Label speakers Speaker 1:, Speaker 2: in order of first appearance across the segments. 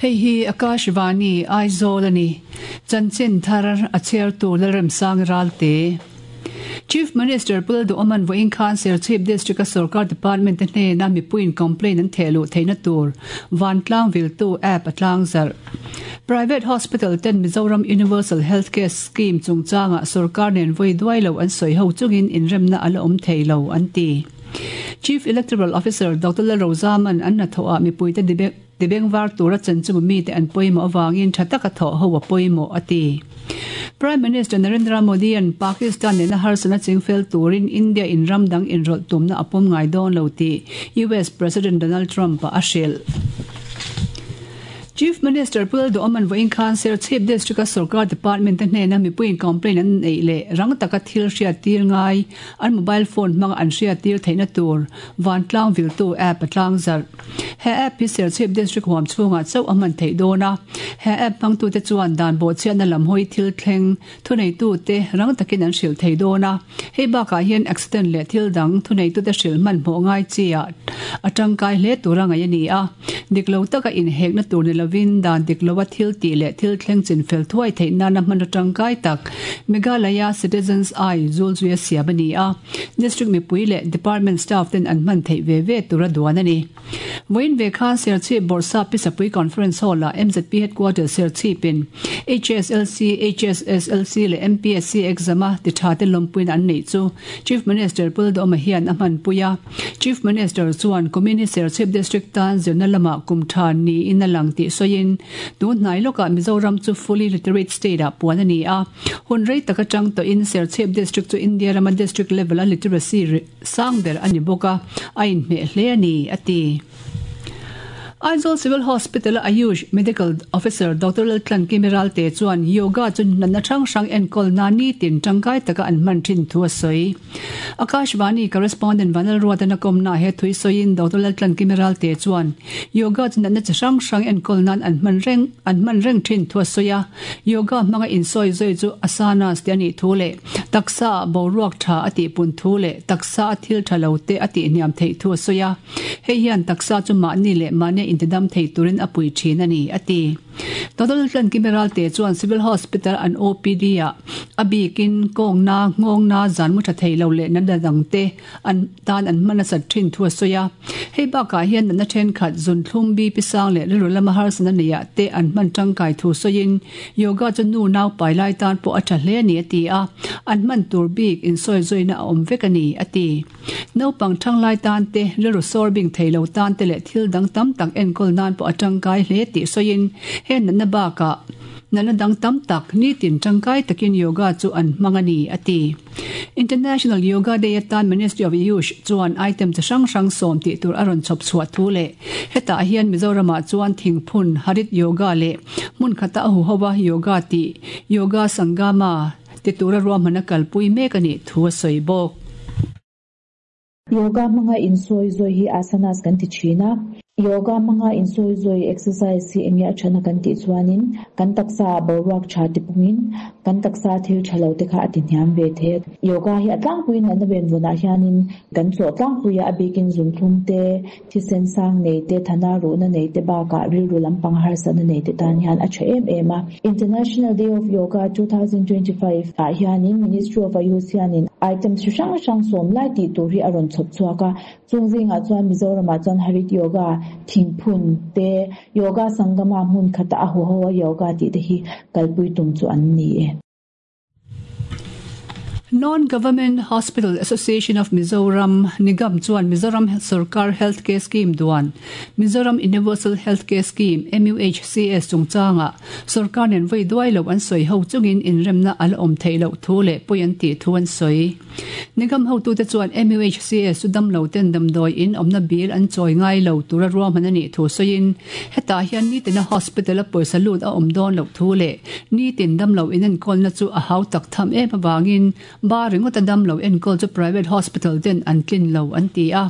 Speaker 1: Hei hi Akashvani, Aizawl a ni. Chanchin thar a chhiartu Lalremsang Ralte. Chief Minister Pu Lalduhawman vawiin khan Serchhip District-a sorkar department te hnena mipuiin complaint an theh luh theihna tur vantlang viltu app a tlangzarh. Private Hospital ten Mizoram Universal Health Care Scheme chungchangah sorkar nen vawi duai lo an sawi ho chungin inremna a la awm thei lo an ti. Chief Electoral Officer Doctor Lalrozaman an hnathawhah mipuite Tibengvar tura chanchunga mite an pawimawh avangin tha taka thawh ho a pawimawh, a ti. Prime Minister Narendra Modi-a'n Pakistan nena harsatna chingfel turin India in ram dang inrawlh tumna a pawm ngai dawn lo tih US President Donald Trump-a a hrilh. Chief Minister Pu Lalduhawman vawiin khan Serchhip District-a sorkar department te hnena mipuiin complaint an neih leh rang taka thil hriattir ngai an mobile phone hmanga an hriattir theihna tur vantlang viltu app a tlangzarh. He app hi Serchhip District huam chhungah chauh a hman theih dawn a, he app hmangtute chuan dan bawhchhiatna lam hawi thil thleng thuneitute rang takin an hrilh thei dawn a. Hei bakah hian accident leh thil dang thuneitute hrilh hmanhmawh ngai chiah a tangkai hle tura ngaih a ni a. Dik lo taka inhekna tur ni lovin dan dik loa thil tih leh thil thleng chinfel thuai theih nana hmanraw tangkai tak Meghalaya Citizens Eye zulzuia siam a ni a. District mipui leh Department staff ten an hman theih ve ve tur a duan a ni. Vawiin ve khan Serchhip Bawrhsap Pisapui Conference Hall-ah MZP Headquarters Serchhipin HSLC, HSSLC leh MPSC exam-a ti tha te lawmpuina an neih chu Chief Minister Pu Lalduhoma hian a hmanpui a. Chief Minister chuan kumin hi Serchhip District tan zirna lamah kum tha niin a lang tih sawiin tun hnai lawkah Mizoram chu fully literate state-ah puan a ni a. Hun rei tak atang tawhin Serchhip District chu India rama District level-a literacy sang ber a ni bawk a, a inhmeh hle a ni, a ti. Aizawl Civil Hospital-a Ayush Medical Officer Doctor Laltlankimi Ralte chuan Yoga chu natna hrang hrang enkawl nan nitin tangkai taka an hman thin thu a sawi. Akashvani Correspondent Vanlalruatan a kawmnaah he thui sawiin Doctor Laltlankimi Ralte chuan Yoga chu natna chi hrang hrang enkawl nan an hman reng an hman reng thin thu a sawi a. Yoga hmanga insawi zawi chu asanas te a nih thu leh taksa ah boruak tha a tihpun thu leh taksa a thil tha lo te a tihhniam theih thu a sawi a. Hei hian taksa chu mahni leh mahnia intidam thei turin a pui thin a ni, a ti. Total Tlankimi Ralte chuan Civil Hospital an OPD ah a bikin kawngna, nghawngna, zan mu tha thei lo leh natna dangte an tan an hman nasat thin thu a sawi a. Hei bakah hian natna thenkhat zunthlum, BP sang leh rilru lama harsatna neiah te an hman tangkai thu sawiin yoga chu nu nau pai lai tan pawh a tha hle a ni a ti a, an hman tur bik insawizawiina a awm vek a ni a ti. Naupang thanglai tan te, rilru sawr bing thei lo tan te leh thil dang tam tak enkawl nan pawh a tangkai hle tih sawiin he natna bakah natna dang tam tak nitin tangkai takin yoga chu an hmang a ni a ti. International Yoga Day atan Ministry of Ayush chuan item chi hrang hrang sawm tih tur a rawn chhawp chhuah thu leh hetah hian Mizoramah chuan thingphun, Harit Yoga leh hmun khata a huhova yoga tih Yoga Sangama ti tura ruahman a kalpui mek a nih thu a sawi bawk.
Speaker 2: Yoga hmanga insawi zawi hi asanas kan ti thin a. Yoga hmanga insawi zawi exercise hi enge a thana kan tih chuanin kan taksa ah boruak tha ti pungin kan taksa thil tha lo te kha a ti hniam ve thei a. Yoga hi a tlangpuiin natna venvawnah hianin kan chawh tlangpui a, a bikin zunthlum te, thisen sang nei te, thana ruhna nei te bakah rilru lampang harsatna nei te tan hian a tha em em a. International Day of Yoga 2025 ah hianin Ministry of Ayush hianin items hri hrang hrang sawm lai tih tur hi a rawn chhawp chhuak a, chung zingah chuan Mizoramah chuan Harit Yoga, Thingphun te, Yoga Sangama hmun khata a huho a yoga tih te hi kalpui tum chu an ni e.
Speaker 1: Non-Government Hospital Association of Mizoram, Nigam, chuan Mizoram Sorkar Health Care Scheme duan Mizoram Universal Health Care Scheme, MUHCS, chungchangah sorkar nen vawi duai lo an sawi ho chungin inremna a la awm theih loh thu leh pawi an tih thu an sawi. Nigam hotute chuan MUHCS chu damlo ten damdawi in awmna bil an chawi ngai lo tura ruahman a nih thu sawiin hetah hian nitina hospital a pawisa lut a awm dawn loh thu leh nitin damlo in enkawlna chu a hau tak tham em avangin Ba ringawta damlo enkawl chu private hospital ten an tlin lo an ti a.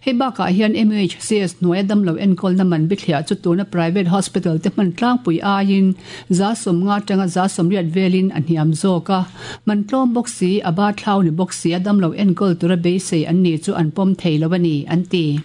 Speaker 1: Hei bakah hian MUHCS hnuaia damlo enkawlna man bithliah chu tuna private hospital te hman tlangpui aiin 50% atanga 80% velin a hniam zawk a. Man tlawm bawk si, a ba thlau ni bawk si a damlo enkawl tura beisei an ni chu an pawm thei lo a ni, an ti.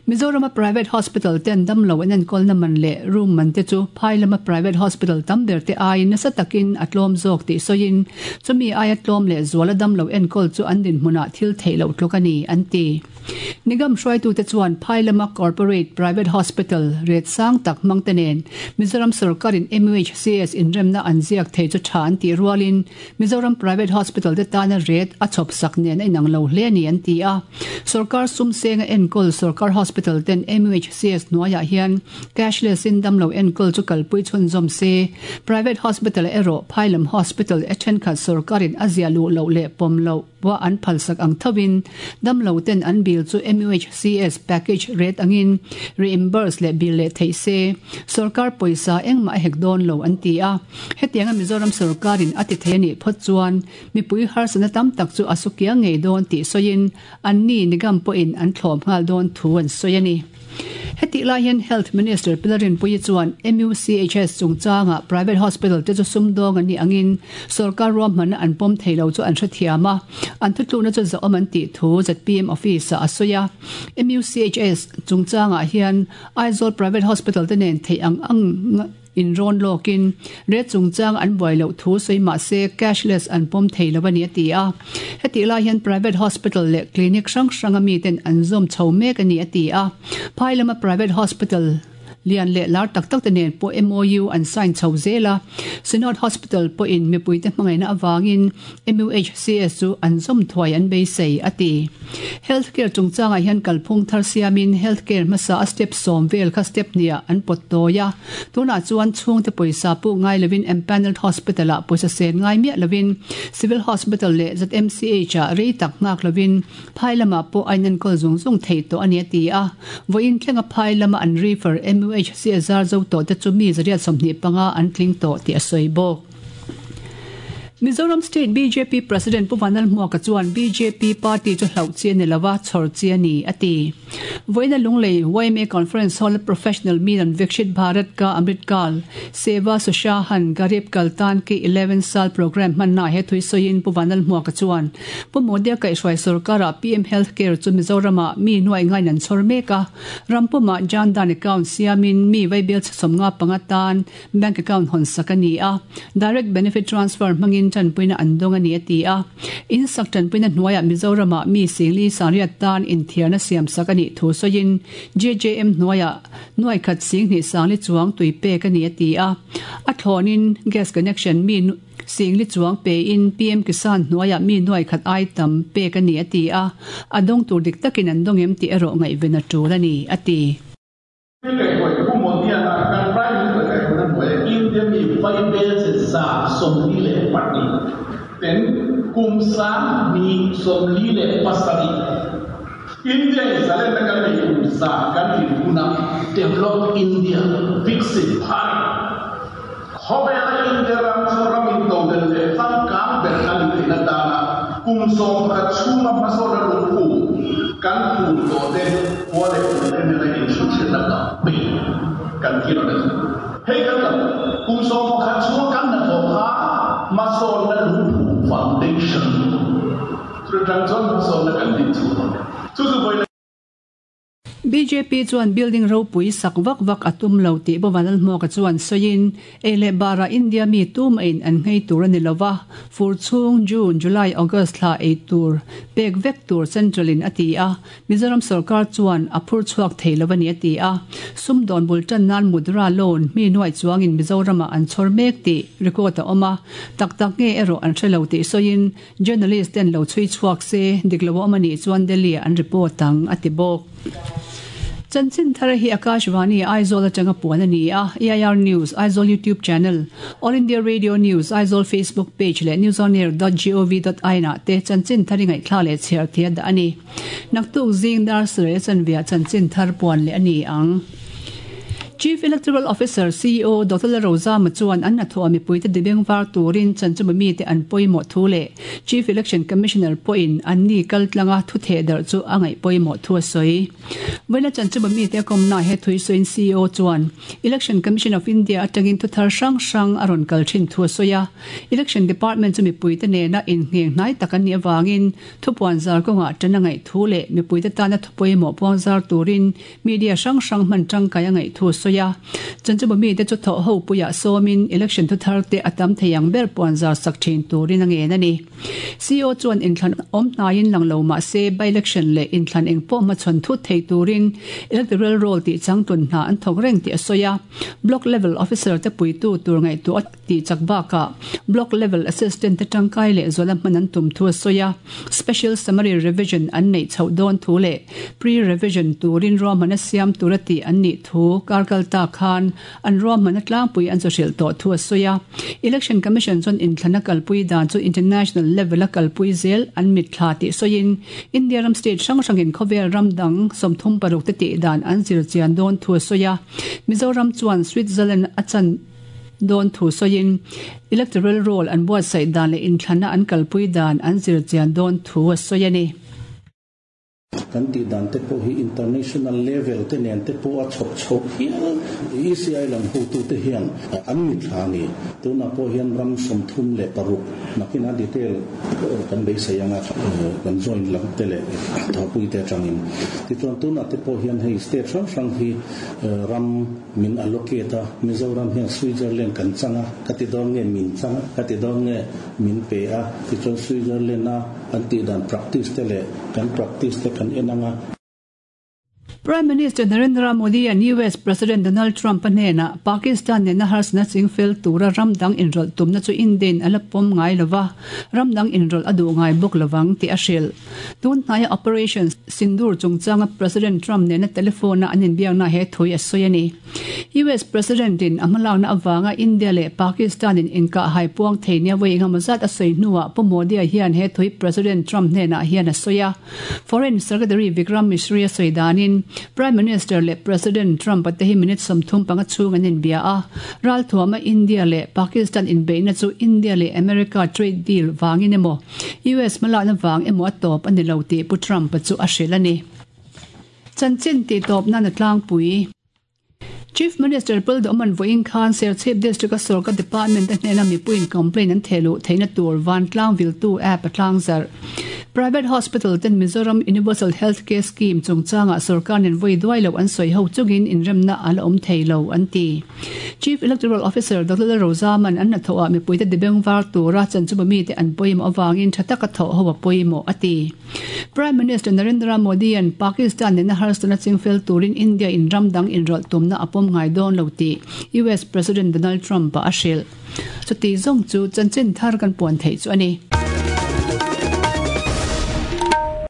Speaker 1: Mizorama private hospital ten damlo an enkawlna man leh room man te chu phai lama private hospital tam ber te aiin nasa takin a tlawm zawk tih sawiin chumi aia tlawm leh zuala damlo enkawl chu an dinhmunah thil theih loh tluk a ni, an ti. Nigam hruaitute chuan phai lama corporate private hospital ret sang tak hmang te nen Mizoram sorkarin MUHCS inremna an ziak thei chu tha an tih rualin Mizoram Private Hospital te tana ret a chhawp sak nen a inang lo hle a ni an ti a. Sorkar sum senga enkawl Sorkar Hospital ten MUHCS hnuaiah hian cashless in damlo enkawl chu kalpui chhunzawm se. Private Hospital ah erawh Phailam Hospital e thenkhat sorkarin a ziah luh loh leh pawm loh pawh an phalsak ang thovin damlo ten an bill chu MUHCS package rate angin reimburse leh bill leh theih se. Sorkar pawisa engmah a hek dawn lo an ti a. Hetianga Mizoram sorkarin a ti thei a nih phawt chuan mipui harsatna tam tak chu a su kiang ngei dawn tih sawiin anni Nigam pawhin an thlawm nghal dawn thu an sawi a ni. Hetih lai hian Health Minister Pilar Rinpuii chuan MUCHS chungchanga private hospital te chu sumdawng an nih angin sorkar ruahmanna an pawm thei lo chu an hrethiam a, an thutlukna chu zahawm an tih thu zpm office-ah a sawi a. MUCHS chungchangah hian Aizawl private hospital te nen theih ang ang Inrawn lawkin rate chungchang an buai loh thu sawi mah se cashless an pawm thei lo a ni a ti a. Hetih lai hian private hospital leh clinic hrang hranga miten an zawm chho mek a ni a ti a. Phai lama private hospital lian leh lar tak tak te nen pawh MOU an sign chho zel a. Synod Hospital pawhin mipuite hmangaihna avangin MUHCS chu an zawm thuai an beisei a ti. Health care chungchangah hian kalphung thar siamin health care hmasa a step sawm vel kha step hniah an pawt tawi a. Tunah chuan chhungte pawisa puk ngai lovin empanelled hospital ah pawisa sen ngai miah lovin Civil Hospital leh ZMCH ah rei tak nghak lovin phai lamah pawh a inenkawl zung zung theih tawh a ni a ti a. Vawiin thlenga phai lama an refer MUHC a zar zo tawh te chu mi 125 an tling tawh tih a sawi bawk. Mizoram State bjp President Pu Vanlalhmuaka chuan bjp party chu hlauh chi a ni lova, chhawr chi a ni, a ti. Vawiina Lunglei yma Conference Hall-a Professional Milan Vikshit Bharat Ka Amrit Kaal, Seva Sushahan Garib Kaltan Ki 11 Saal Programme hmannaah he thui sawiin Pu Vanlalhmuaka chuan Pu Modi-a kaihhruai sorkarah PM Health Care chu Mizoramah mi nuaih ngain an chhawr mek a, ram pumah Jan Dhan Account siamin mi vaibel chhe 75 tan Bank account hawn sak a ni a, Direct Benefit Transfer hmangin tanpuina an dawng a ni a ti a. In sak tanpuina hnuaiah Mizoramah mi singli sangriat tan inthiarna siam sak a nih thu sawiin JJM hnuaiah nuaikhat singhnih sangli chuang tui pek a ni a ti a. A thlawnin gas connection mi singli chuang pein PM Kisan hnuaiah mi nuaikhat ai tam pek a ni a ti a. A dawng tur dik takin an dawng em tih erawh ngaihven a tul a ni a ti.
Speaker 3: Kaihhruai Pu Modi-a kan Prime Minister kaihhruaina hnuaia India mi vaibelche 42 ten kum 1047 India in zalenna kan nei kum za kan tlin huna Develop India, Viksit Bharat, khawvela India ram chu ram intodelh leh changkang ber a ni theihna tana kum 11 chhunga hmasawnna lungphum kan phum tawh te khua leh kum te nena inhruhhriatna campaign kan thil a ni. Hei kan kan kum 11 chhunga kan hnathawh kha hmasawnna lungphum foundation chu atang chuan hmasawnna kan din chhuak ang. Chu chu vawiin
Speaker 1: Bjp chuan building ropui sak vak vak a tum lo tih Pu Vanlalhmuaka chuan sawiin, ei leh barah India mi tumahin an nghei tur a ni lo va, fur chhung June, July, August thla ei tur pek vek tur Central in a ti a, Mizoram sorkar chuan a phur chhuak thei lo a ni a ti a. Sumdawn bul tan nan Mudra loan mi nuaih chuangin Mizoramah an chhawr mek tih record a awm a, tak tak nge erawh an hre lo tih sawiin, Journalist ten lo chhui chhuak se, dik lo a awm a nih chuan Delhi ah an report ang, a ti bawk. Chanchin thar hi Akashvani Aizawl atanga puan a ni a, AIR News, Aizawl YouTube Channel, All India Radio News, Aizawl Facebook Page leh newsonair dot gov dot in ah te chanchin thar i ngaihthlak leh chhiar thei a dah a ni. Naktuk zing dar sarih a chanve ah chanchin thar puan leh a ni ang. Chief Electoral Officer, CEO, Doctor Lalrozama chuan an hnathawh mipuite dibeng var turin chanchuma mite an pawimawh thu leh Chief Election Commissioner pawhin anni kaltlanga thu thehdarh chu a ngaih pawimawh thu a sawi. Vawiina chanchuma mite a kawmnaah he thui sawiin CEO chuan Election Commission of India atangin thu thar hrang hrang a rawn kal thin thu a sawi a. Election Department chu mipuite nena inngheng hnai tak an nih avangin thupuan zar kawngah tan a ngaih thu leh mipuite tana thu pawimawh puang zar turin Media hrang hrang hman tangkai a ngaih thu a sawi a. Chanchuma mite chu thawh ho puiah sawmin election thuthar te a tam thei ang ber puan zar sak thin turin a ngen a ni. CEO chuan inthlan awm hnaiin lang lo mah se by-election leh inthlan eng pawh hmachhawn thut thei turin electoral roll tih changtlun hna an thawk reng tih a sawi a. Block level officer te puitu tur ngaihtuah a tih chak bakah Block level assistant te tangkai leh zuala hman an tum thu a sawi a. Special Summary Revision an neih chhoh dawn thu leh Pre-Revision turin ruahmanna siam tura tih an nih thu karkal ta khan an ruahmanna tlangpui an chawhrilh tawh thu a sawi a. Election Commission chuan inthlana kalpui dan chu international level-a kalpui zel an mitthla tih sawiin India ram state hrang hrangin khawvel ram dang 36 te tih dan an zir chian dawn thu a sawi a. Mizoram chuan Switzerland a chan dawn thu sawiin Electoral Roll an buatsaih dan leh inthlana an kalpui dan an zir chian dawn thu a sawi a ni.
Speaker 4: Kan tih dan te pawh hi international level te nen te pawh a chhawp chhoh hial. ECI lam hotute hian an mithla a ni. Tunah pawh hian ram 36 nakinah detail kan beisei anga kan join lam te leh thawhpui te atangin. Tichuan tunah te pawh hian hei state hrang hrang hi ram min allocate a, Mizoram hian Switzerland kan chang a, ka ti dawn nge min chang a, ka ti dawn nge min pe a, tichuan Switzerland a an tih dan practice te leh kan practice te kan en ang a.
Speaker 1: Prime Minister Narendra Modi an US President Donald Trump-a hnenah Pakistan nena harsatna chingfel tura ram dang inrawlh tumna chu India-in a la pawm ngai lova, ram dang inrawlh a duh ngai bawk lovang tih a hrilh. Tun hnaia Operation Sindoor chungchanga President Trump nena telephone-a an inbiakna he thui a sawi a ni. US President-in a hmalakna avanga India leh Pakistan-in inkahhai puang thei nia vawi engemaw zat a sawi hnuah Pu Modi-a hian he thui President Trump hnenah hian a sawi a. Foreign Secretary Vikram Misri a sawi danin Prime Minister leh President Trump-a te hi minute 35 chhung an inbia a. Ralthuama India leh Pakistan inbeihna chu India leh America trade deal vangin emaw US hmalakna vang emaw a tawp a ni lo tih Pu Trump-a chu a hrilh a ni. Chanchin tihtawp nan a tlangpui. Chief Minister Pul Duhman vawiin khan Serchhip District-a sorkar department te hnena mipuiin complaint an theh luh theihna tur vantlang viltu app a tlangzarh. Private Hospital ten Mizoram Universal Health Care Scheme chungchangah sorkar nen vawi duai loh an sawi ho chungin inremna a la awm thei lo an ti. Chief Electoral Officer Doctor Lalrozaman an hnathawhah mipuite dibeng var tura chanchuma mite an pawimawh avangin tha taka thawh ho a pawimawh a ti. Prime Minister Narendra Modi-a'n Pakistan nena harsatna chingfel turin India in ram dang inrawlh tumna a pawm ngai dawn lo tih US President Donald Trump-a a hrilh. Chuti zawng chu chanchin thar kan puan theih chu a ni.